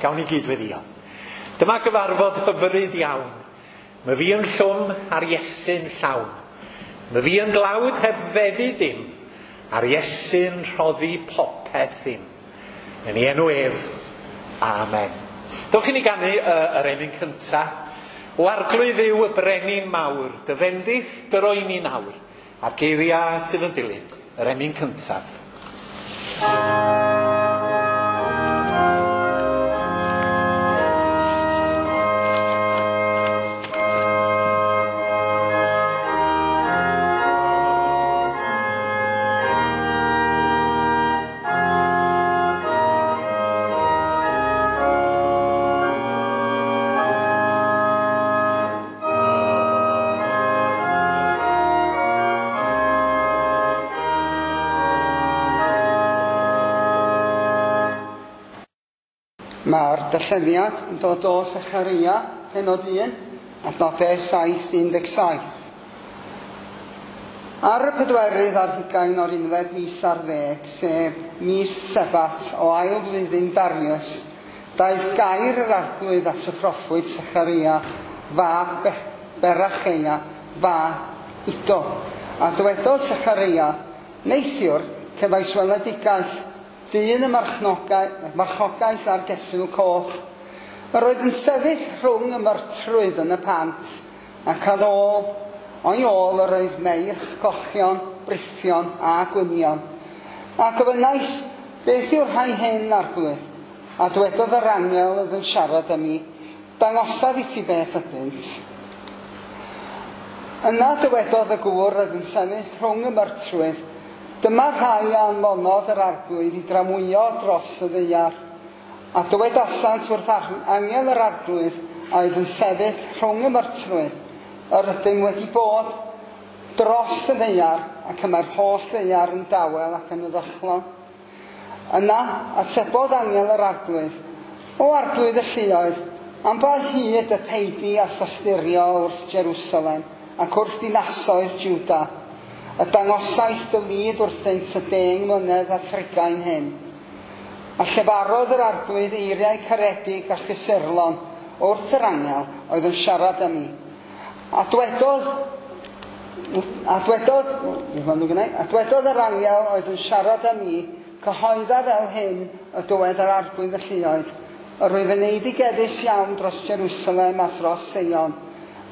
Gawn ni gyd weddio. Dyma gyfarfod hyfryd iawn. Mae fi yn llwm a'r Iesu'n llawn. Mae fi yn dlawd heb feddu dim, a'r Iesu'n rhoddi popeth ddim. Yn ei enw ef, amen. Dewch i ni ganu yr emyn cynta. O Arglwydd Dduw y brenin mawr, dy fendith dy roi ni nawr, a'r geiriau sydd yn dilyn, yr emyn cyntaf. Mae'r darlleniad yn dod o Secharia, penod 1, adnodau 7-17. Ar y 24 o'r unfed mis ar ddeg, sef mis Sebat o ail flwyddyn Darius, daeth gair yr Arglwydd at y proffwyd Secharia, fab Beracheia, fab Iddo. A dywedodd Secharia, neithiwr, cefais weledigaeth, dyn y marchogaeth a'r geffyl coch. Yr oedd yn sefyll rhwng y myrtrwydd yn y pant, ac ar ôl, o'i ôl yr oedd meirch cochion, brithion a gwynion. A gofynnais, beth yw'r rhai hyn, Arglwydd? A dwedodd yr angel oedd yn siarad â mi, dangosaf i ti beth ydynt. Yna dywedodd y gŵr oedd yn sefyll rhwng y myrtrwydd, dyma rhai a anfonodd yr Arglwydd i dramwyo dros y ddaear. A dywedasant wrth angel yr Arglwydd a oedd yn sefyll rhwng y myrtrwydd, yr ydym wedi bod dros y ddaear, ac y mae'r holl ddaear yn dawel ac yn heddychlon. Yna atebodd angel yr Arglwydd, o Arglwydd y lluoedd, am ba hyd y peidi a thosturio wrth Jerusalem ac wrth dinasoedd Juda, y dangosais dy lid wrthynt y 10 mlynedd a 30 hyn. A llefarodd yr Arglwydd eiriau caredig a chysurlon wrth yr angel oedd yn siarad â mi. A dwedodd yr angel oedd yn siarad â mi, cyhoedda fel hyn y dywed yr Arglwydd y lluoedd, yr wyf yn eiddigeddus iawn dros Jerusalem a thros Seion,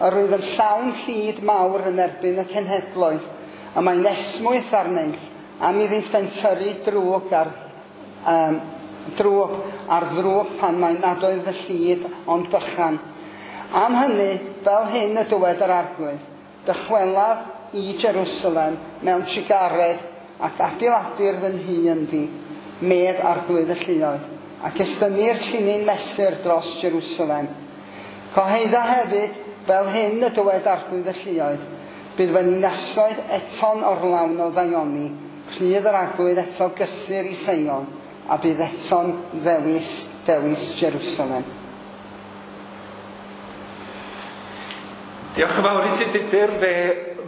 yr wyf yn llawn llid mawr yn erbyn y cenhedloedd, a mae'n esmwyth arnynt am iddynt bentyrru drwg ar ddrwg pan mae nad oedd y llid ond bychan. Am hynny, fel hyn y dywed yr Arglwydd, dychwelaf i Jerusalem mewn trugaredd ac adeiladir fy nhŷ ynddi, medd Arglwydd y lluoedd, ac estynnir llinyn mesur dros Jerusalem. Cyhoedda hefyd, fel hyn y dywed Arglwydd y lluoedd, bydd fy ninasoedd eto'n orlawn o ddaioni, rhydd yr Arglwydd eto gysur i Seion, a bydd eto'n ddewis Jerusalem. Diolch yn fawr i ti, Tudur. Fe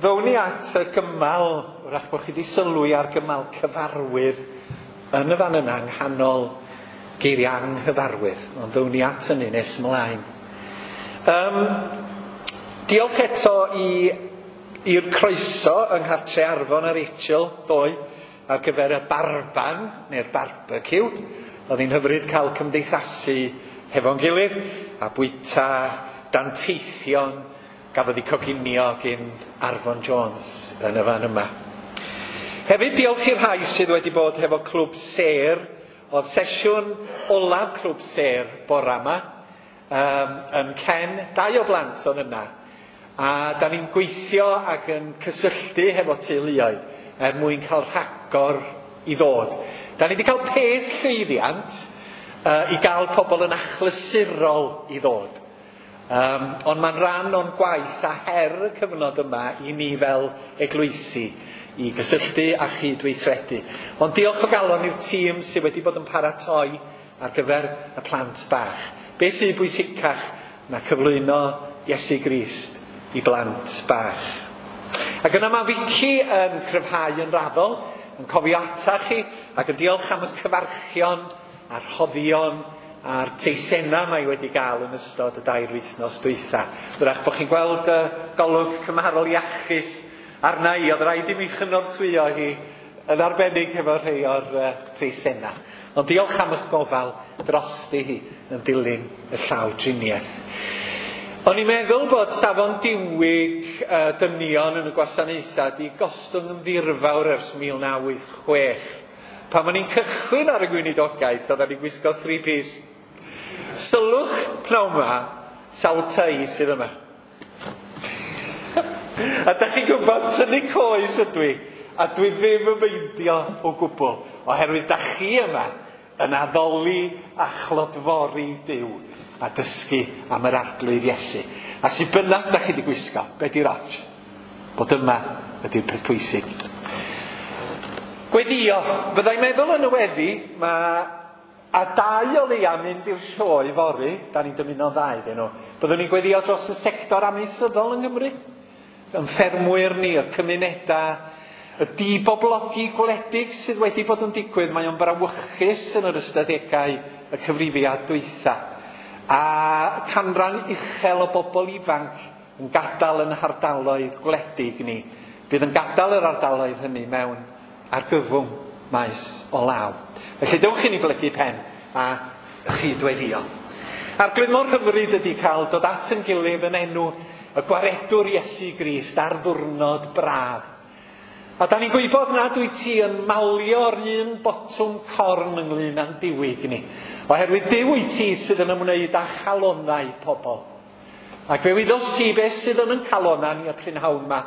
ddown ni at y gymal, wrach bod chi wedi sylwi ar gymal cyfarwydd yn y fan yna, yng nghanol geiriau anghyfarwydd, ond ddown ni at hynny nes ymlaen. Diolch eto i'r croeso yng Nghartre Arfon a Rachel ddoe ar gyfer y barban neu'r barbecue. Oedd hi'n hyfryd cael cymdeithasu hefo'n gilydd a bwyta danteithion gafodd ei coginio gyn Arfon Jones yn y fan yma. Hefyd diolch i'r rhai sydd wedi bod hefo Clwb Sêr. Oedd sesiwn olaf Clwb Sêr bora yma yn Ken, 2 o blant oedd yna. A da ni'n gweithio ac yn cysylltu hefo teuluoedd er mwyn cael rhagor i ddod. Da ni wedi cael peth llwyddiant i gael pobl yn achlysurol i ddod. Ond mae'n rhan o'n gwaith a her y cyfnod yma i ni fel eglwysi i gysylltu a chydweithredu. Ond diolch o galon i'r tîm sydd wedi bod yn paratoi ar gyfer y plant bach. Be sydd bwysicach na cyflwyno Iesu Grist i blant bach. Ac yna mae Vicky yn cryfhau yn raddol, yn cofio ata chi, ac yn diolch am y cyfarchion a'r rhoddion a'r teisennau mae wedi gael yn ystod y 2 wythnos dwytha. Wrach bod chi'n gweld y golwg cymharol iachus arna i, oedd rhaid i mi chynorthwyo hi yn arbennig efo rhai o'r teisennau. Ond diolch am eich gofal drosti hi yn dilyn y llaw driniaeth. O'n i'n meddwl bod safon diwyg dynion yn y gwasanaethau di gostwng yn ddirfawr ers 1986. Pan o'n i'n cychwyn ar y gweinidogaeth, oedden ni'n gwisgo 3-piece. Sylwch pnawn 'ma, sawl tei sydd yma. A da chi'n gwybod, tynnu coes ydw i, a dwi ddim yn meindio o gwbl, oherwydd da chi yma yn addoli a chlodfori Duw a dysgu am yr Arglwydd Iesu. A sy bynnag da chi wedi gwisgo, be di'r ots? Bod yma ydy'r peth pwysig. Gweddio. Fyddai'n meddwl yn y weddi, mae a 2 o leia mynd i'r sioe fory, da ni'n dymuno'n dda iddyn nhw. Byddwn ni'n gweddio dros y sector amaethyddol yng Nghymru, yn ffermwyr ni, y cymunedau, y diboblogi gwledig sydd wedi bod yn digwydd. Mae o'n brawychus yn yr ystadegau y cyfrifiad dwytha. A canran uchel o bobl ifanc yn gadael yn hardaloedd gwledig ni. Bydd yn gadael yr ardaloedd hynny mewn argyfwng maes o law. Felly dewch i ni blygu pen a chydweddio. Arglwydd, mor hyfryd ydy cael dod at yn gilydd yn enw y gwaredwr Iesu Grist ar ddiwrnod braf. A da ni'n gwybod nad wyt ti yn malio'r un botwm corn ynglyn â'n diwyg ni, oherwydd Duw wyt ti sydd yn ymwneud â chalonnau pobl. Ac fe wyddost ti beth sydd yn ein calonnau ni y prynhawn yma,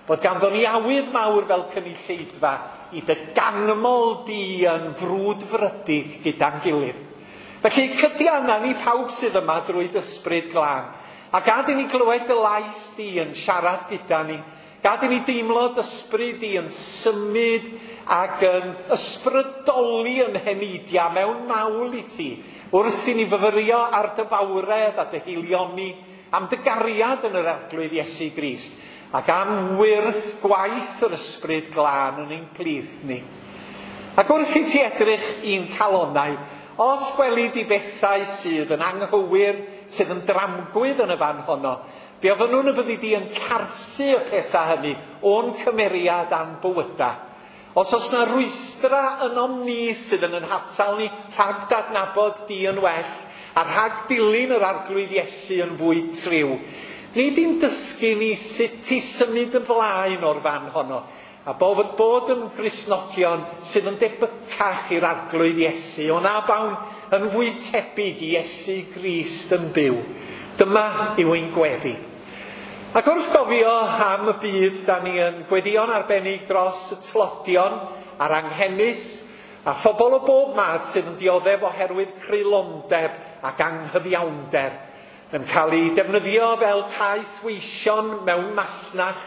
bod ganddo ni awydd mawr fel cynulleidfa i dy ganmol di yn frwdfrydig gyda'n gilydd. Felly cydianna ni pawb sydd yma drwy dy ysbryd glân, a gad i ni glywed dy lais di yn siarad gyda ni. Gad i ni deimlo dy ysbryd di yn symud ac yn ysbrydoli yn heneidiau mewn mawl i ti, wrth i ni fyfyrio ar dy fawredd a dy haelioni, am dy gariad yn yr Arglwydd Iesu Grist, ac am wyrth gwaith yr ysbryd glân yn ein plith ni. Ac wrth i ti edrych i'n calonnau, os gweli di bethau sydd yn anghywir, sydd yn dramgwydd yn y fan honno, fe ofynnwn y byddi di yn carthu y pethau hynny o'n cymeriad a'n bywyda. Os oes na rwystra ynom ni sydd yn ein hatal ni rhag dadnabod di yn well a rhag dilyn yr Arglwydd Iesu yn fwy triw, nid i'n dysgu ni sut i symud yn flaen o'r fan honno, a bod yn Gristnogion sydd yn debycach i'r Arglwydd Iesu, o na bawn yn fwy tebyg i Iesu Grist yn byw. Dyma yw ein gweddi. Ac wrth gofio am y byd, da ni yn gweddio'n arbennig dros y tlodion a'r anghenus a phobl o bob math sydd yn dioddef oherwydd creulondeb ac anghyfiawnder, yn cael eu defnyddio fel caethweision mewn masnach,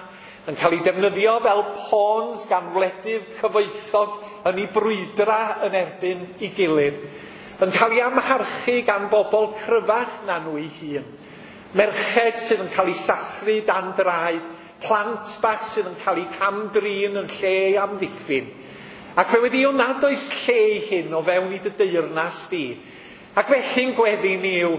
yn cael eu defnyddio fel pawns gan wledydd cyfoethog yn eu brwydra yn erbyn ei gilydd, yn cael eu amharchu gan bobl cryfach na nhw eu hun. Merched sydd yn cael eu sathru dan draed, plant bach sydd yn cael eu cam-drin yn lle ei amddiffyn. Ac fe weddïwn nad oes lle i hyn o fewn i dy deyrnas di. Ac felly'n gweddi ni yw,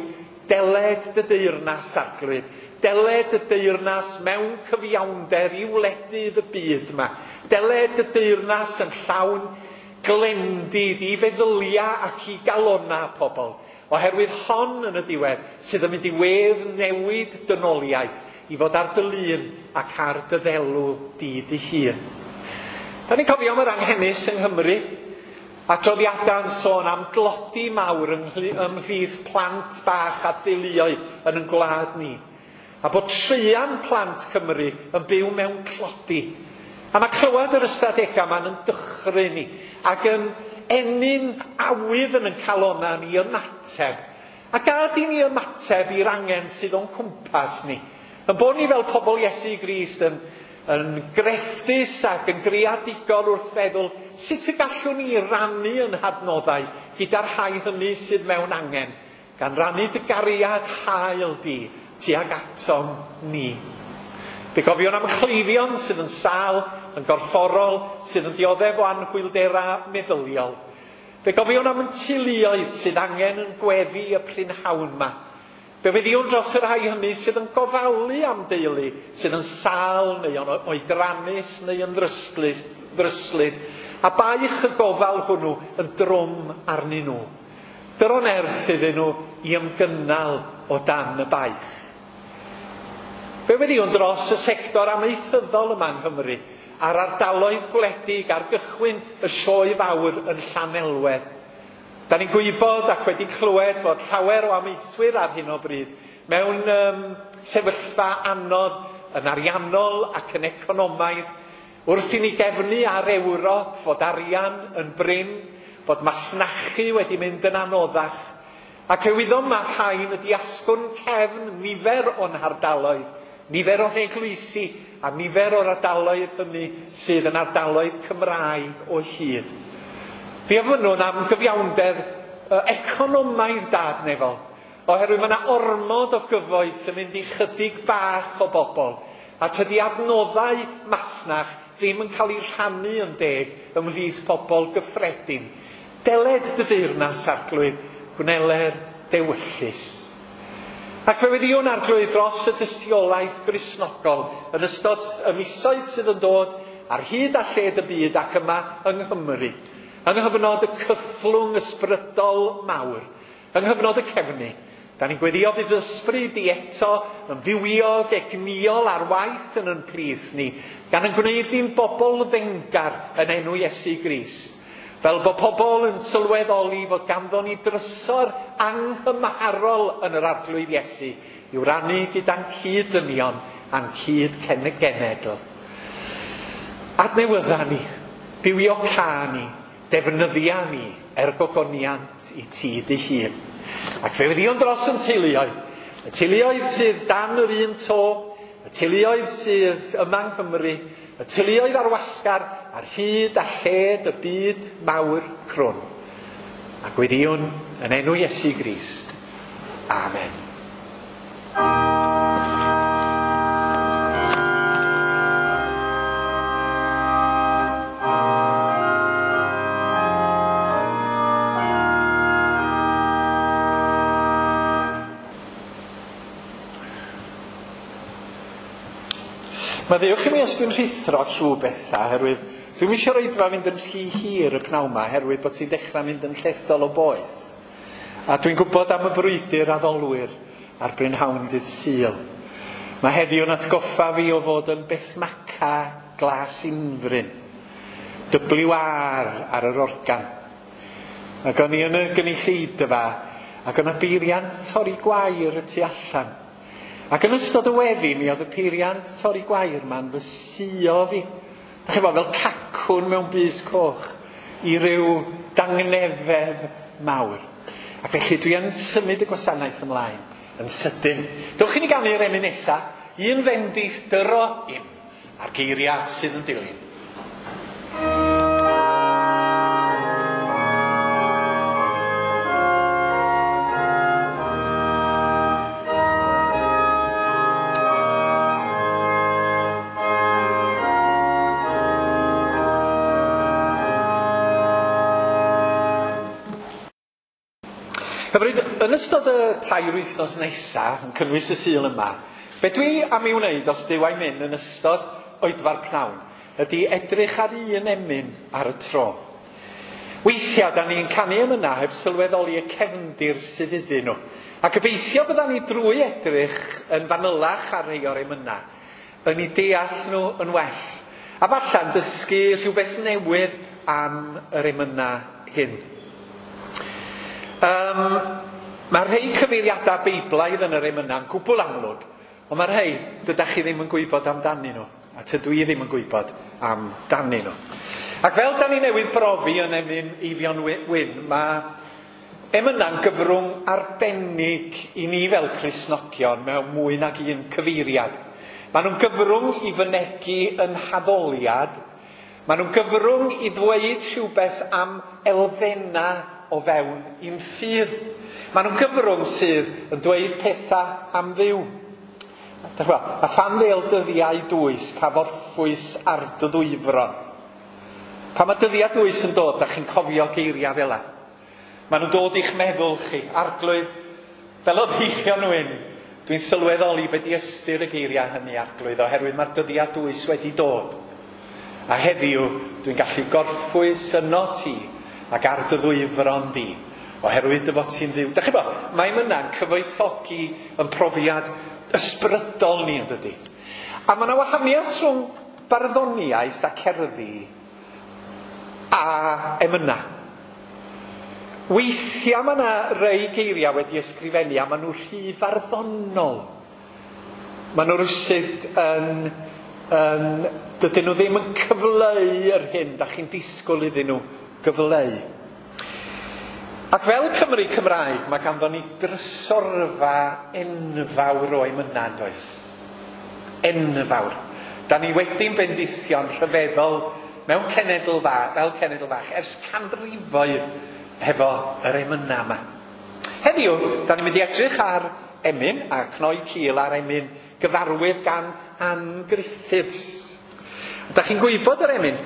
deled dy deyrnas, Arglwydd. Deled dy deyrnas mewn cyfiawnder i wledydd y byd yma. Deled dy deyrnas yn llawn glendid i feddyliau ac i galonnau pobl. Oherwydd hon yn y diwedd sydd yn mynd i wedd newid dynoliaeth i fod ar dy lun ac ar dy ddelw di dy hun. Da ni'n cofio am yr anghenus yng Nghymru, adroddiadau'n sôn am dlodi mawr ymhlith plant bach a theuluoedd yn ein gwlad ni, a bod 3 plant Cymru yn byw mewn tlodi. A mae clywed yr ystadegau yma'n yn dychryn ni ac yn ennyn awydd yn ein calonnau ni ymateb. A gad i ni ymateb i'r angen sydd o'n cwmpas ni. Yn bod ni fel pobl Iesu Grist yn grefftus ac yn greadigol wrth feddwl sut y gallwn ni rannu yn hadnoddau gyda'r rhai hynny sydd mewn angen, gan rannu dy gariad hael di tuag atom ni. Fe gofiwn am cleifion sydd yn sâl, yn gorfforol, sydd yn dioddef o anhwylderau meddyliol. Fe gofiwn am yn teuluoedd sydd angen yn gweddi y prynhawn yma. Fe weddïwn dros y rhai hynny sydd yn gofalu am deulu, sydd yn sâl neu yn oedrannus neu yn ddryslyd, a baich y gofal hwnnw yn drwm arnyn nhw. Dyro nerth iddyn nhw i ymgynnal o dan y baich. Fe weddïwn dros y sector amaethyddol yma yng Nghymru, a'r ardaloedd gwledig ar gychwyn y sioe fawr yn Llanelwedd. Da ni'n gwybod ac wedi clywed fod llawer o amaethwyr ar hyn o bryd mewn sefyllfa anodd yn ariannol ac yn economaidd, wrth i ni gefnu ar Ewrop fod arian yn brin, fod masnachu wedi mynd yn anoddach, ac fe wyddom mae rhain ydi asgwrn cefn nifer o'n hardaloedd, nifer o'n eglwysi a nifer o'r ardaloedd hynny sydd yn ardaloedd Cymraeg o hyd. Fe ofynnwn am gyfiawnder economaidd dad nefol, oherwydd mae yna ormod o gyfoeth yn mynd i chydig bach o bobl, a tydi adnoddau masnach ddim yn cael eu rhannu yn deg ymhlith pobl gyffredin. Deled dy deyrnas, Arglwydd, gwneler dewyllys. Ac fe weddïwn, Arglwydd, dros y dystiolaeth Gristnogol yn ystod y misoedd sydd yn dod ar hyd a lled y byd ac yma yng Nghymru, yng nghyfnod y cythlwng ysbrydol mawr, yng nghyfnod y cefnu. Da ni'n gweddio bydd ysbryd i eto yn fywiog, egnïol ar waith yn yn plith ni, gan yn gwneud ni'n bobl fengar yn enw Iesu Grist. Fel bod pobl yn sylweddoli fod ganddo ni drysor anghymarol yn yr Arglwydd Iesu i'w rannu gyda'n cyd-ddynion a'n cyd-genedl. Adnewydda ni, bywioca ni, defnyddia ni er gogoniant i ti dy hun. Ac fe weddïwn dros yn teuluoedd, y teuluoedd sydd dan yr un to, y teuluoedd sydd yma yng Nghymru, y teuluoedd ar wasgar ar hyd a lled y byd mawr crwn. A gweddïwn yn enw Iesu Grist. Amen. Maddeuwch i mi os dwi'n rhuthro trwy bethau, oherwydd dwi'm eisiau oedfa fynd yn rhy hir y pnawn yma, oherwydd bod ti'n dechrau mynd yn llethol o boeth. A dwi'n gwybod am y frwydr addolwyr ar brynhawn dydd Sul. Mae heddiw'n atgoffa fi o fod yn Bethmaca Glas Unfryn, WR ar yr organ. Ac o'n i yn y gynulleidfa, ac o'n y beiriant torri gwair y tu allan. Ac yn ystod y weddi, mi oedd y peiriant torri gwair ma'n fy suo fi. Da chi'n fel cacwn mewn bys coch i ryw dangnefedd mawr. Ac felly dwi yn symud y gwasanaeth ymlaen yn sydyn. Dewch i ni ganu'r emyn nesa, un fendith dyro im, a'r geiriau sydd yn dilyn. Hyfryd, yn ystod y 3 wythnos nesaf, yn cynnwys y Sul yma, be dwi am ei wneud os Duw a'i mynd yn ystod oedfa'r pnawn, ydy edrych ar un emyn ar y tro. Weithiau, da ni'n canu emynau heb sylweddoli y cefndir sydd iddyn nhw. A gobeithio bydda ni drwy edrych yn fanylach ar rhai o'r emynau, yn eu deall nhw yn well. A falla'n dysgu rhywbeth newydd am yr emynau hyn. Mae rhai cyfeiriadau Beiblaidd yn yr emynau'n gwbl amlwg, ond mae rhai dydach chi ddim yn gwybod amdanyn nhw, a tydw i ddim yn gwybod amdanyn nhw. Ac fel da ni newydd brofi yn emyn Eifion Wyn, mae emynau'n gyfrwng arbennig i ni fel Cristnogion mewn mwy nag un cyfeiriad. Maen nhw'n gyfrwng i fynegi yn haddoliad, maen nhw'n gyfrwng i ddweud rhywbeth am elfennau o fewn i'n ffydd. Maen nhw'n gyfrwng sydd yn dweud pethau am Dduw. A phan ddêl dyddiau dwys, pa forffwys ar dy ddwyfron. Pan mae dyddiau dwys yn dod, da chi'n cofio geiriau fel 'a. Maen nhw'n dod i'ch meddwl chi, Arglwydd, fel oedd Eifion Wyn, dwi'n sylweddoli be di ystyr y geiriau hynny, Arglwydd, oherwydd mae'r dyddiau dwys wedi dod. A heddiw, dwi'n gallu gorffwys yno ti ac ar dy ddwyfron di, oherwydd dy fod ti'n Dduw. Dach chi'n bod, mae emyna'n cyfoethogi yn profiad ysbrydol ni, yn dydy. A mae yna wahaniaeth rhwng barddoniaeth a cerddi a emyna. Weithiau mae yna rei geiriau wedi ysgrifennu a maen nhw rhy farddonol. Maen nhw rywsut yn, dydyn nhw ddim yn cyfleu yr hyn da chi'n disgwyl iddyn nhw gyfleu. Ac fel Cymry Cymraeg, mae ganddo ni drysorfa enfawr o emynau, yn does? Enfawr. Da ni wedi'n bendithio'n rhyfeddol mewn cenedl fach, fel cenedl fach, ers canrifoedd hefo yr emynau yma. Heddiw, da ni'n mynd i edrych ar emyn, a cnoi cil ar emyn gyfarwydd gan Ann Griffiths. Da chi'n gwybod yr emyn?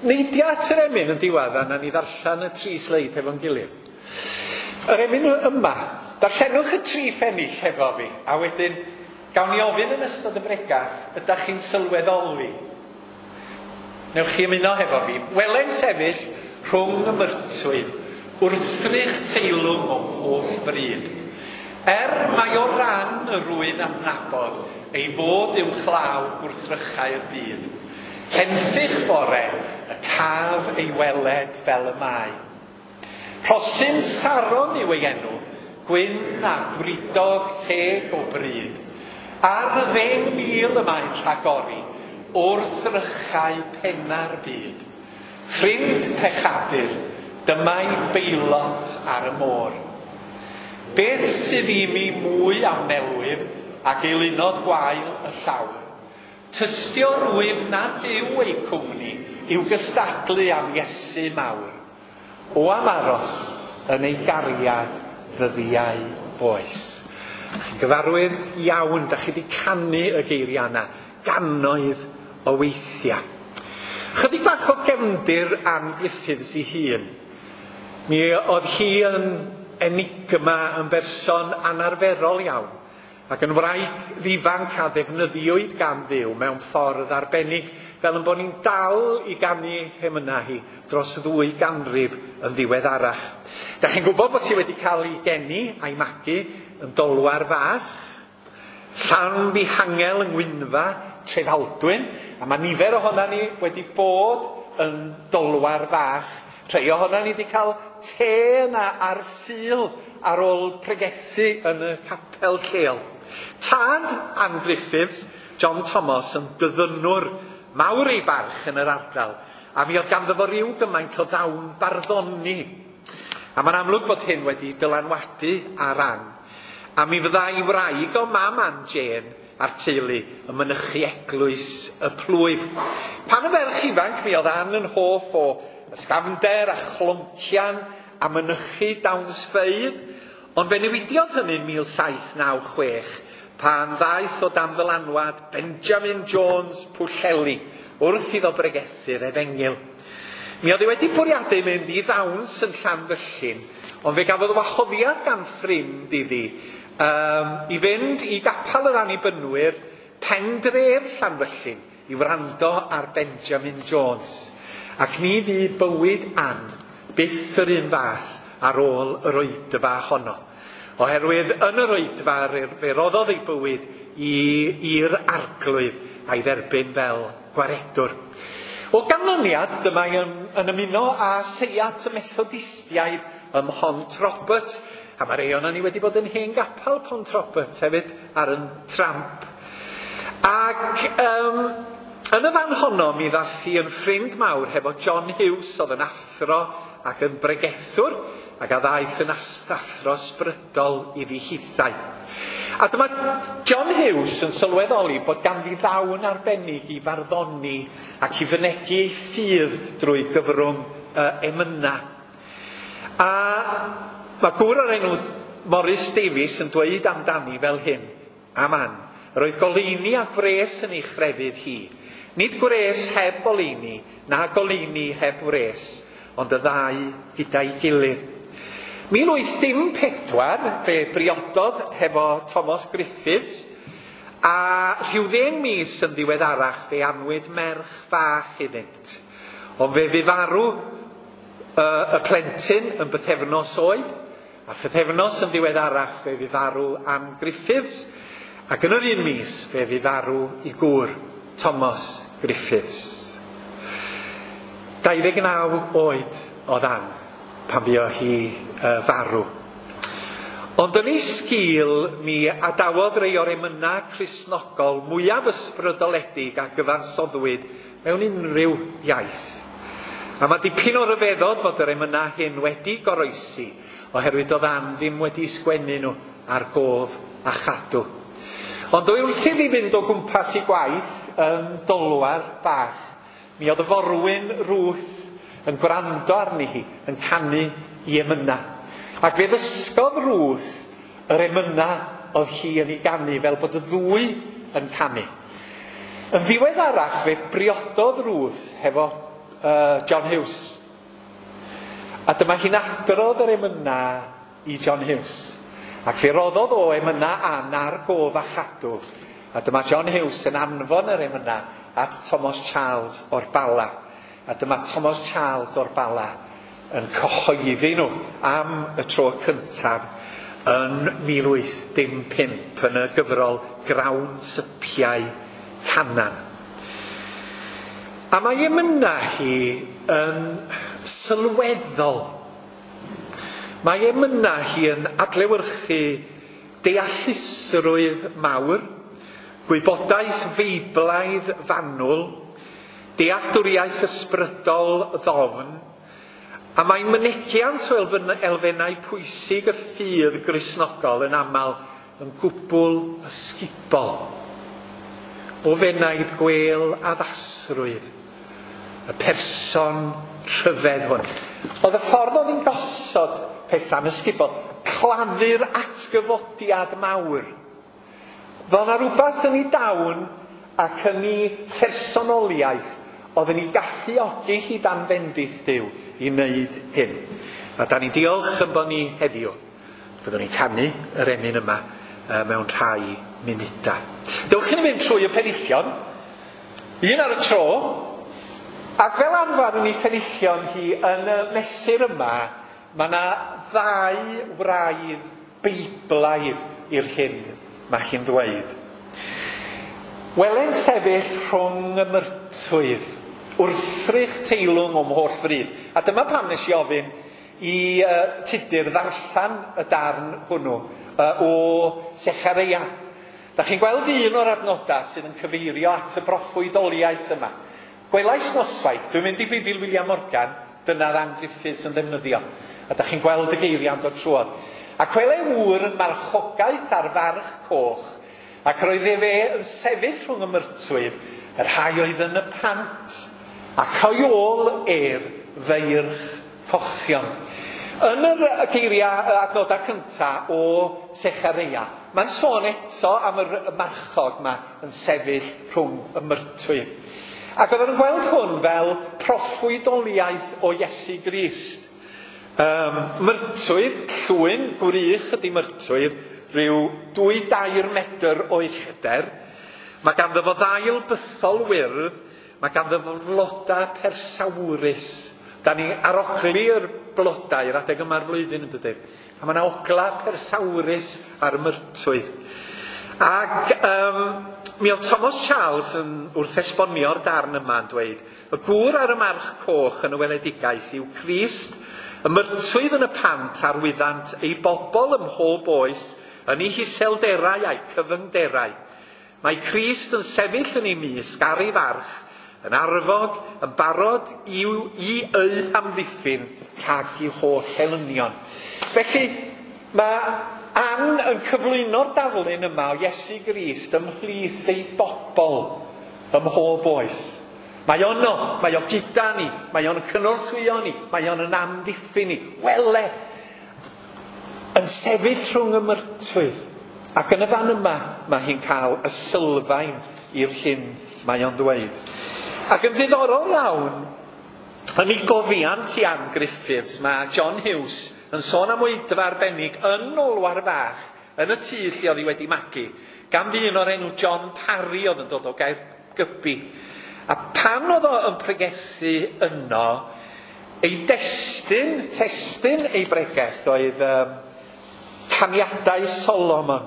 Neidia at yr emyn yn diwedd, a na ni ddarllen y tri sleid hefo'n gilydd. Yr emyn yma, darllenwch y tri phennill hefo fi, a wedyn gawn ni ofyn yn ystod y bregath, ydych chi'n sylweddoli? Newch chi ymuno hefo fi. Wele'n sefyll rhwng y myrtwydd, wrthrych teilwng o'm holl bryd. Er mai o ran y rwy'n adnabod ei fod uwchlaw gwrthrychau'r byd. Henffych bore y caf ei weled fel y mae. Rhosyn Saron yw ei enw, gwyn a gwridog teg o bryd. Ar y 10,000 y mae'n rhagori, wrthrychau penna'r byd. Ffrind pechadur, dyma'i beilot ar y môr. Beth sydd i mi mwy am nelwyf ac eilunod gwael y llawr? Tystio rwyf nad yw ei cwmni i'w gystadlu am Iesu mawr. O am aros yn ei gariad ddyddiau oes. Chi'n gyfarwydd iawn, da chi wedi canu y geiriau yna gannoedd o weithiau. Chydig bach o gefndir Ann Griffiths ei hun. Mi oedd hi yn enigma, yn berson anarferol iawn, ac yn wraig ddifanc a ddefnyddiwyd gan Dduw mewn ffordd arbennig, fel yn bod ni'n dal i ganu hemynau hi dros 2 ganrif yn ddiweddarach. Da chi'n gwybod bod hi wedi cael ei geni a'i magu yn Dolwar Fach, Llanfihangel yng Ngwynfa, Trefaldwyn, a mae nifer ohona ni wedi bod yn Dolwar Fach. Rhai ohona ni wedi cael te yna ar Sul ar ôl pregethu yn y capel lleol. Tad Ann Griffiths, John Thomas, yn dyddynwr mawr ei barch yn yr ardal, a mi oedd ganddo fo ryw gymaint o ddawn barddoni. A mae'n amlwg bod hyn wedi dylanwadu ar Ann. A mi fyddai wraig o mam Ann Jane a'r teulu yn mynychu eglwys y plwyf. Pan y ferch ifanc, mi oedd Ann yn hoff o ysgafnder a chloncian a mynychu dawnsfeydd, ond fe newidiodd hynny'n 1796 pan ddaeth o dan ddylanwad Benjamin Jones Pwllheli wrth iddo bregethu'r efengyl. Mi oedd hi wedi bwriadu mynd i ddawns yn Llanfyllin, ond fe gafodd wahoddiad gan ffrind iddi i fynd i gapel yr Annibynwyr pendref Llanfyllin i wrando ar Benjamin Jones. Ac ni fu bywyd Ann byth yr un fath ar ôl yr oedfa honno. Oherwydd yn yr oedfa fe roddodd ei bywyd i'r Arglwydd a'i dderbyn fel gwaredwr. O ganlyniad, dyma yn ymuno â seiat y Methodistiaid ym Mhont Robert, a mae rhai ohonon ni wedi bod yn hen gapel Pont Robert hefyd ar yn tramp. Ac yn y fan honno mi ddath hi yn ffrind mawr hefo John Hughes, oedd yn athro ac yn bregethwr, ac a ddaeth yn athro ysbrydol iddi hithau. A dyma John Hughes yn sylweddoli bod ganddi ddawn arbennig i farddoni ac i fynegi ei ffydd drwy gyfrwng emyna. A mae gŵr o'r enw Morris Davies yn dweud amdani fel hyn, am Ann, roedd goleuni a gwres yn ei chrefydd hi. Nid gwres heb oleuni, na goleuni heb wres, ond y ddau gyda'i gilydd. 1814 fe briododd hefo Thomas Griffiths, a rhyw 10 mis yn ddiweddarach fe anwyd merch fach iddynt. Ond fe fu farw y plentyn yn bythefnos oed, a phythefnos yn ddiweddarach fe fu farw Ann Griffiths, ac yn yr un mis fe fu farw i gŵr Thomas Griffiths. 29 oed oedd Ann pan fuodd hi farw. Ond yn ei sgil mi adawodd rei o'r emynau Cristnogol mwyaf ysbrydoledig a gyfansoddwyd mewn unrhyw iaith. A mae dipyn o ryfeddod fod yr emynau hyn wedi goroesi, oherwydd oedd Ann ddim wedi sgwennu nhw ar gof a chadw. Ond oedd wrth iddi fynd o gwmpas i gwaith yn Dolwar bach, mi oedd y forwyn Ruth yn gwrando arni hi, yn canu i emynau. Ac fe ddysgodd Ruth yr emynau oedd hi yn ei ganu fel bod y ddwy yn canu. Yn ddiweddarach fe briododd Ruth hefo John Hughes. A dyma hi'n adrodd yr emynau i John Hughes. Ac fe roddodd o emynau Ann ar gof a chadw. A dyma John Hughes yn anfon yr emynau at Thomas Charles o'r Bala. A dyma Thomas Charles o'r Bala yn cyhoeddi nhw am y tro cyntaf yn 1815 yn y gyfrol Grawn Sypiau Canan. A mae emynau hi yn sylweddol. Mae emynau hi yn adlewyrchu deallusrwydd mawr, gwybodaeth feiblaidd fanwl, dealltwriaeth ysbrydol ddofn, a mae mynegiant o elfennau pwysig y ffydd Gristnogol yn aml yn gwbl ysgubol. O fenaid gwêl addasrwydd, y person rhyfedd hwn. Oedd y ffordd oedd hi'n gosod pethau'n ysgubol, claddu'r atgyfodiad mawr. Fel yna rhywbeth yn ei dawn ac yn ei phersonoliaeth oedd yn ei galluogi hi dan fendith Duw i wneud hyn. A da ni'n diolch yn bod ni heddiw. Fyddwn ni'n canu yr emyn yma mewn rhai munudau. Dewch i ni fynd trwy y penillion, un ar y tro, ac fel arfer yn ei phenillion hi yn y mesur yma, mae yna ddau wraidd beiblaidd i'r hyn mae hi'n ddweud. Wele'n sefyll rhwng y myrtwydd, wrthrych teilwng o'm holl fryd. A dyma pam nes i ofyn i Tudur ddarllen y darn hwnnw o Sechareia. Da chi'n gweld un o'r adnodau sydd yn cyfeirio at y broffwydoliaeth yma. Gwelais noswaith, dwi'n mynd i Beibl William Morgan, dyna Ann Griffiths yn ddefnyddio. A da chi'n gweld y geiriau'n dod trwodd. Ac wele ŵr yn marchogaeth ar farch coch, ac roedd efe yn sefyll rhwng y myrtwydd, y rhai oedd yn y pant, ac o'i ôl ef feirch cochion. Yn yr geiriau adnodau cyntaf o Sechareia, mae'n sôn eto am y marchog yma yn sefyll rhwng y myrtwydd. Ac oedden nhw'n gweld hwn fel proffwydoliaeth o Iesu Grist. Myrtwydd, llwyn, gwrych ydy myrtwydd, rhyw 2-3 medr o uchder. Mae ganddo fo ddail bythol wyrdd, mae ganddo fo flodau persawrus. Da ni arogli'r blodau yr adeg yma'r flwyddyn yn dydyn. A mae yna ogla persawrus ar y myrtwydd. Ac mi oedd Thomas Charles yn wrth esbonio'r darn yma yn dweud, y gŵr ar y march coch yn y weledigaeth yw Crist, y myrtwydd yn y pant arwyddant ei bobl ym mhob oes, yn ei hiselderau a'i cyfyngderau. Mae Crist yn sefyll yn ei mysg ar ei farch, yn arfog, yn barod i eu hamddiffyn rhag i holl elynion. Felly, mae Ann yn cyflwyno'r darlun yma o Iesu Grist ymhlith ei bobl ym mhob oes. Mae o yno, mae o gyda ni, mae o'n cynorthwyo ni, mae o'n yn amddiffyn ni. Wele, yn sefyll rhwng y myrtwydd. Ac yn y fan yma, mae hi'n cael y sylfaen i'r hyn mae o'n ddweud. Ac yn ddiddorol iawn, yn ei gofiant i Ann Griffiths, mae John Hughes yn sôn am oedfa arbennig yn Nolwar Fach, yn y tŷ lle oedd hi wedi magu, gan ddyn o'r enw John Parry oedd yn dod o Gaergybi. A pan oedd o yn pregethu yno, ei destun, testun ei bregeth oedd Caniadau Solomon.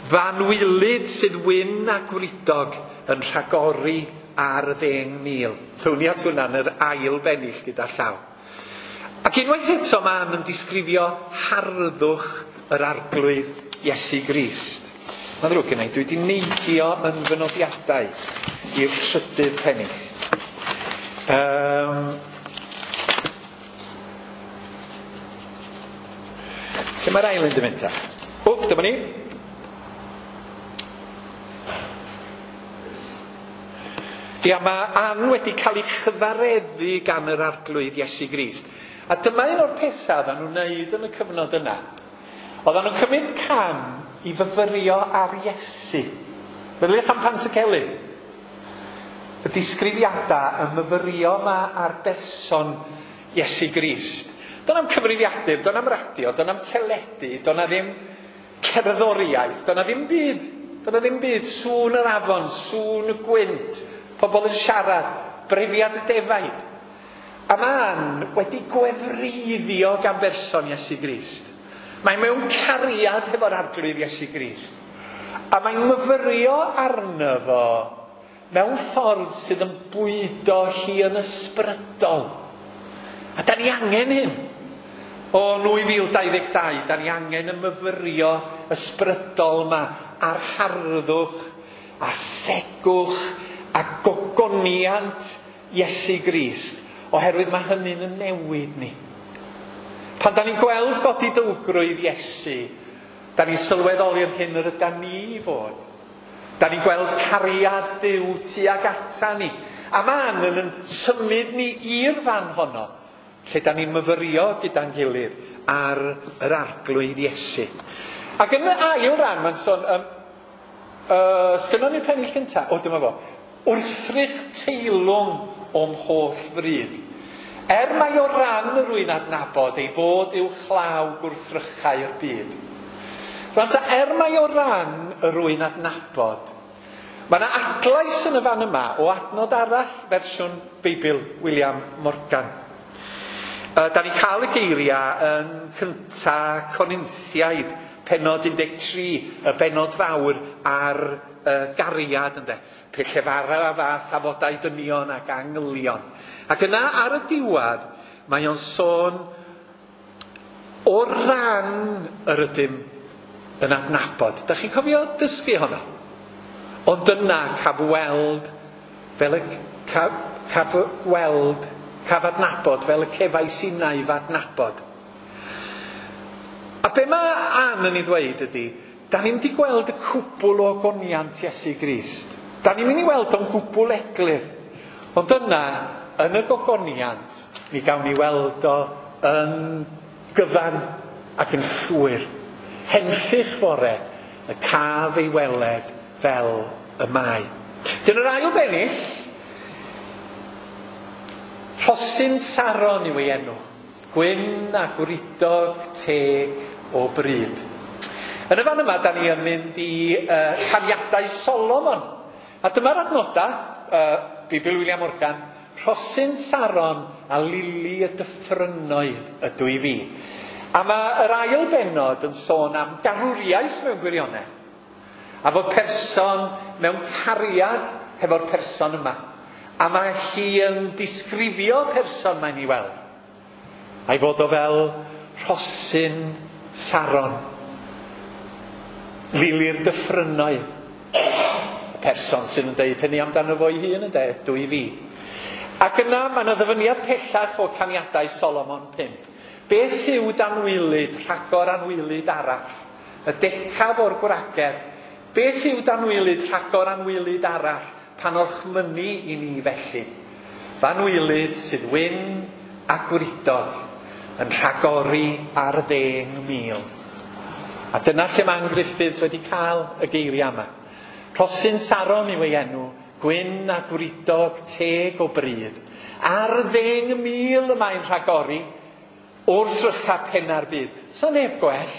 F'anwylyd sydd wyn a gwridog yn rhagori ar 10,000. Town ni at hwnna yn yr ail bennill gyda llaw. Ac unwaith eto mae Ann yn disgrifio harddwch yr Arglwydd Iesu Grist. Mae'n ddrwg gen i, dwi wedi neidio yn fy nodiadau i'r trydydd pennill. Lle mae'r ail un di mynd ta? O, dyma ni. Ia, mae Ann wedi cael ei chyfareddu gan yr Arglwydd Iesu Grist. A dyma un o'r pethau oedden nhw'n wneud yn y cyfnod yna. Oedden nhw'n cymryd cam i fyfyrio ar Iesu. Meddyliwch am Pantycelyn. Y disgrifiadau y myfyrio yma ar berson Iesu Grist. Do'n am cyfrifiadur, do'n am radio, do'n am teledu, do'n am ddim cerddoriaeth, do'n am ddim byd. Do'n am ddim byd, sŵn yr afon, sŵn y gwynt, pobl yn siarad, brefiad y defaid. A mae Ann wedi gwefreiddio gan berson Iesu Grist. Mae mewn cariad hefo'r Arglwydd Iesu Grist. A mae'n myfyrio arno fo mewn ffordd sydd yn bwydo hi yn ysbrydol. A da ni angen hyn. O 2022, da ni angen y myfyrio ysbrydol yma ar harddwch a thegwch a gogoniant Iesu Grist, oherwydd mae hynny'n yn newid ni. Pan da ni'n gweld godidowgrwydd Iesu, da ni'n sylweddoli'r hyn yr ydan ni i fod. Da ni'n gweld cariad Duw tuag ata ni. A mae Ann yn symud ni i'r fan honno, lle da ni'n myfyrio gyda'n gilydd ar yr Arglwydd Iesu. Ac yn y ail ran, mae'n sôn, sgynnon ni'r pennill cyntaf? O, dyma fo. Wrthrych teilwng o'm holl fryd. Er mai o ran rwy'n adnabod ei fod i'w chlaw gwrthrychau'r byd. Rwan ta, er mai o ran rwy'n adnabod, mae yna adlais yn y fan yma o adnod arall fersiwn Beibl William Morgan. Da ni'n cael y geiriau yn cynta Corinthiaid, pennod 13, y bennod fawr ar gariad, ynde. Pe llefara a fath afodau dynion ac angylion. Ac yna ar y diwedd, mae o'n sôn o ran yr ydym yn adnabod. Da chi'n cofio dysgu honno? Ond yna caf weld fel y caf weld, caf adnabod fel y cefais innau f'adnabod. A be mae Ann yn ei ddweud ydy, da ni'n mynd i gweld y cwbl o ogoniant Iesu Grist. Da ni'n mynd i weld o'n gwbl eglur. Ond yna, yn y gogoniant, mi gawn ni weld o yn gyfan ac yn llwyr. Henffych fore, y caf ei weled fel y mae. Dyna'r ail bennill, Rhosyn Saron yw ei enw. Gwyn a gwridog teg o bryd. Yn y fan yma, da ni yn mynd i Caniadau Solomon. A dyma'r adnoda, Beibl William Morgan, Rhosyn Saron a lili y dyffrynnoedd ydw i fi. A mae yr ail bennod yn sôn am garwriaeth mewn gwirionedd. A fod person mewn cariad hefo'r person yma. A mae hi yn disgrifio person mae'n ei weld. A'i fod o fel rhosyn Saron. Lili'r dyffrynnoedd. Y person sydd yn deud hynny amdano fo'i hun yn deud, dwi fi. Ac yna mae yna ddyfyniad pellach o Caniadau Solomon 5. Beth yw danwylyd, rhagor anwylyd arall? Y decaf o'r gwragedd. Beth yw danwylyd, rhagor anwylyd arall? Pan orchmynnu i ni felly. Fanwylyd sydd wyn a gwridog yn rhagori ar 10,000. A dyna lle mae Ann Griffiths wedi cael y geiriau yma. Rhosyn Saron yw ei enw, gwyn a gwridog teg o bryd, Ar 10,000 y mae'n rhagori wrth rycha penna'r byd. Sa neb gwell.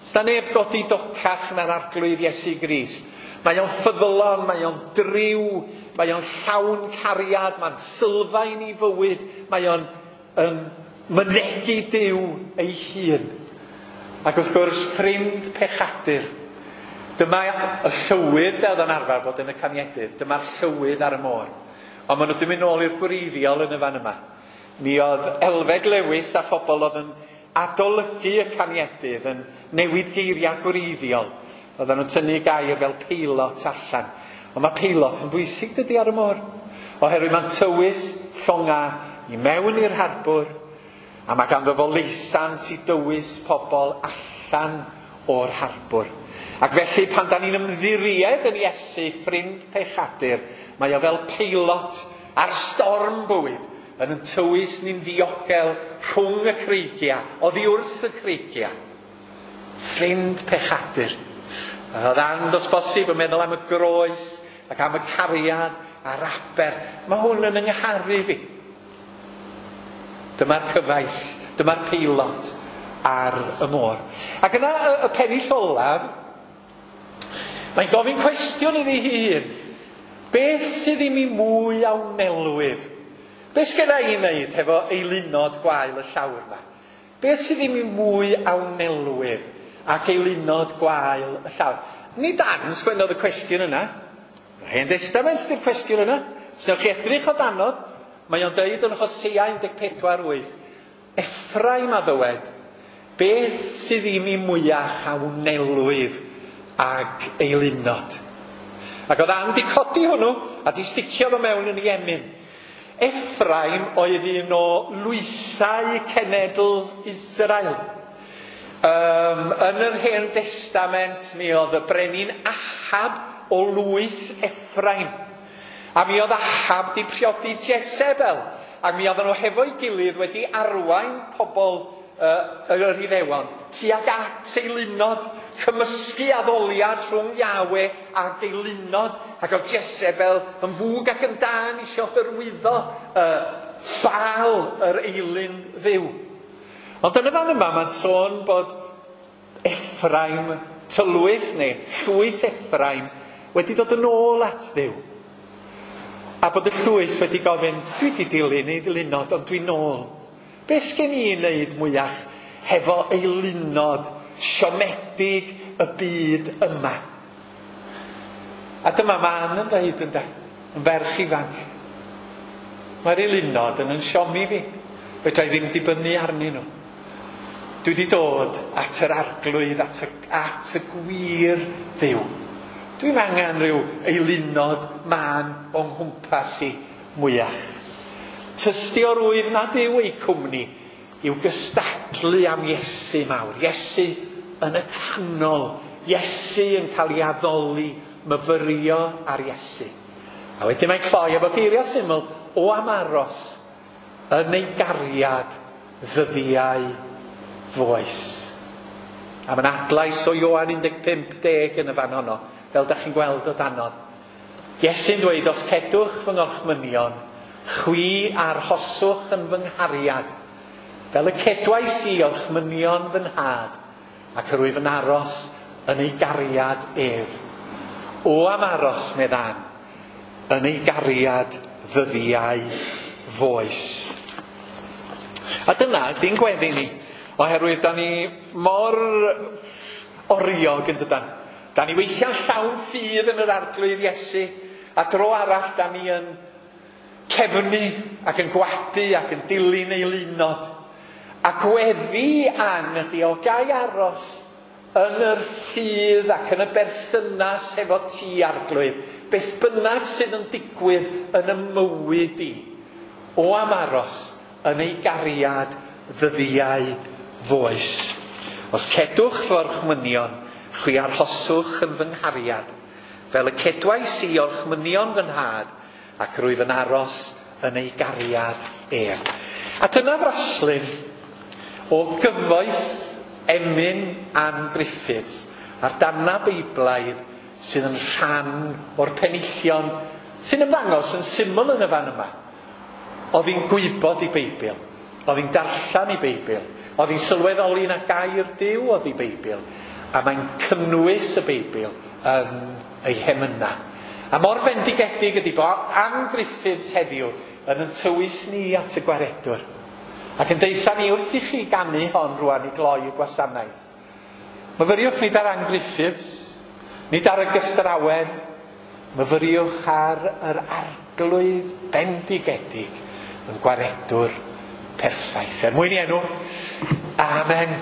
Sa neb godi docach na'r Arglwydd Iesu Grist. Mae o'n ffyddlon, mae o'n driw, mae o'n llawn cariad, mae'n sylfaen i fywyd, mae o'n yn mynegi Duw ei hun. Ac wrth gwrs, ffrind pechadur. Dyma y llywydd oedd yn arfer bod yn y caniedydd. Dyma'r llywydd ar y môr. Ond maen nhw wedi mynd nôl i'r gwreiddiol yn y fan yma. Mi oedd Elfed Lewis a phobl oedd yn adolygu y caniedydd yn newid geiriau gwreiddiol. Oedden nhw'n tynnu gair fel peilot allan. Ond mae peilot yn bwysig dydy ar y môr. Oherwydd mae'n tywys llonga i mewn i'r harbwr, a mae ganddo fo leisans i dywys pobl allan o'r harbwr. Ac felly pan da ni'n ymddiried yn Iesu, ffrind pechadur, mae o fel peilot ar storm bywyd yn yn tywys ni'n ddiogel rhwng y creigiau, oddi wrth y creigiau. Ffrind pechadur. Oedd And os bosib yn meddwl am y groes ac am y cariad a'r aber. Mae hwn yn yngharu fi. Dyma'r cyfaill, dyma'r peilot ar y môr. Ac yna y pennill olaf, mae'n gofyn cwestiwn iddi hi hun. Beth sydd i mi mwy a wnelwyf? Beth sgenna i wneud hefo eilunod gwael y llawr yma? Beth sydd i mi mwy a wnelwyf ac eilunod gwael y llawr? Nid Dan sgwennodd y cwestiwn yna. Yr Hen Testament ydy'r cwestiwn yna. Os newch chi edrych o danodd, mae o'n deud yn Hosea 14:8, Effraim a ddywed, beth sydd i mi mwyach a wnelwyf ag eilunod? Ac oedd Ann di codi hwnnw a di sticio fo mewn yn ei emyn. Effraim oedd un o lwythau cenedl Israel. Yn yr Hen Testament mi oedd y brenin Ahab o lwyth Effraim. A mi oedd Ahab di priodi Jezebel. Ac mi oedden nhw hefo'i gilydd wedi arwain pobl yr Iddewon tuag at eilunod, cymysgu addoliad rhwng Yahweh ac eilunod. Ac oedd Jezebel yn fwg ac yn dân isio hyrwyddo Baal yr eilun dduw. Ond yn y fan yma mae'n sôn bod Effraim tylwyth neu llwyth Effraim wedi dod yn ôl at Dduw. A bod y llwyth wedi gofyn, dwi wedi dilyn ei ddilynod, ond dwi'n ôl. Be sgen i wneud mwyach hefo eilunod siomedig y byd yma? A dyma Man yn dweud ynde, yn ferch ifanc. Mae'r eilunod yn siomi fi. Fedra i ddim dibynnu arnyn nhw. Dwi wedi dod at yr Arglwydd, at y gwir Dduw. Dwi'm angen rhyw eilunod mân o'n nghwmpas i mwyach. Tystiorwydd nad yw eu cwmni i'w gystadlu am Iesu mawr. Iesu yn y canol. Iesu yn cael ei addoli, myfyrio ar Iesu. A wedyn mae'n cloi efo geiriau syml, o am aros yn ei gariad ddyddiau foes. A mae'n adlais o Ioan 15:10 yn y fan honno, fel da chi'n gweld o danodd. Iesu'n dweud, os cedwch fy ngorchmynion, chwi arhoswch yn fy nghariad, fel y cedwais i orchmynion fy nhad, ac yr wyf yn aros yn ei gariad ef. O am aros, meddan, yn ei gariad ddyddiau foes. A dyna di'n gweddi ni, oherwydd da ni mor oriog yn dydan. Da ni weithiau'n llawn ffydd yn yr Arglwydd Iesu, a dro arall da ni yn cefnu ac yn gwadu ac yn dilyn eilunod. A gweddi Ann ydi o gai aros yn yr ffydd ac yn y berthynas hefo ti, Arglwydd. Beth bynnag sydd yn digwydd yn y mywyd i. O am aros yn ei gariad ddyddiau foes. Os cedwch fy orchmynion, chwi arhoswch yn fy nghariad, fel y cedwais i orchmynion fy nhad, ac rwyf yn aros yn ei gariad ef. A dyna fraslun o gyfoeth emyn Ann Griffiths a'r darna Beiblaidd sydd yn rhan o'r penillion sy'n ymddangos yn syml yn y fan yma. Oedd hi'n gwybod ei Beibl, oedd hi'n darllen ei Beibl, oedd hi'n sylweddoli na gair Duw oedd ei Beibl, a mae'n cynnwys y Beibl yn ei hemyna. A mor fendigedig ydy bod Ann Griffiths heddiw yn yn tywys ni at y gwaredwr. Ac yn deutha ni wrth i chi ganu hon rwan i gloi y gwasanaeth. Myfyriwch nid ar Ann Griffiths, nid ar y gystrawen, myfyriwch ar yr arglwydd bendigedig yn gwaredwr perffaith. Er mwyn i enw, amen.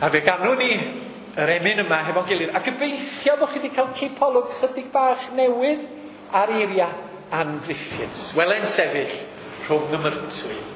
A fe ganwn ni yr emyn yma hefo'n gilydd. A gobeithio bod chi wedi cael cipolwg chydig bach newydd ar eiriau Ann Griffiths. Wele'n sefyll rhwng y myrtwydd.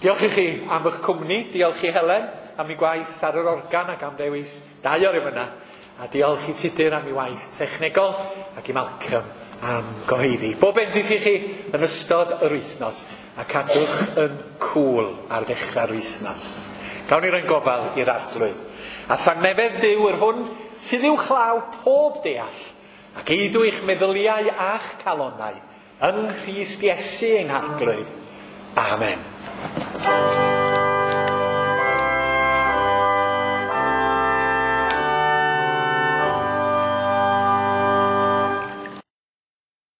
Diolch i chi am eich cwmni, diolch i Helen am ei gwaith ar yr organ ac am ddewis dau o'r emynau, a diolch i Tudur am ei waith technegol ac i Malcolm am gyhoeddi. Bob bendith i chi yn ystod yr wythnos a cadwch yn cŵl ar ddechrau'r wythnos. Gawn ni roi'n gofal i'r arglwydd. A thangnefedd Duw yr hwn sydd uwchlaw pob deall ac eidw eich meddyliau a'ch calonnau yng Nghrist Iesu ein harglwydd. Amen.